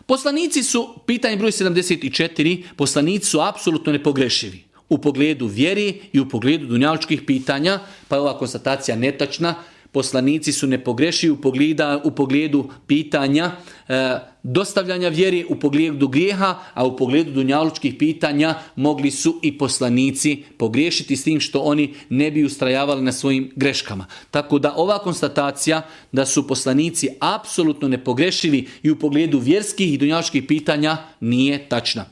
Poslanici su, pitanje broj 74, poslanici su apsolutno nepogrešivi u pogledu vjeri i u pogledu dunjalučkih pitanja, pa je ova konstatacija netačna. Poslanici su nepogrešivi u pogledu pitanja dostavljanja vjeri, u pogledu grijeha, a u pogledu dunjalučkih pitanja mogli su i poslanici pogriješiti s tim što oni ne bi ustrajavali na svojim greškama. Tako da ova konstatacija da su poslanici apsolutno nepogrešivi i u pogledu vjerskih i dunjalučkih pitanja nije tačna.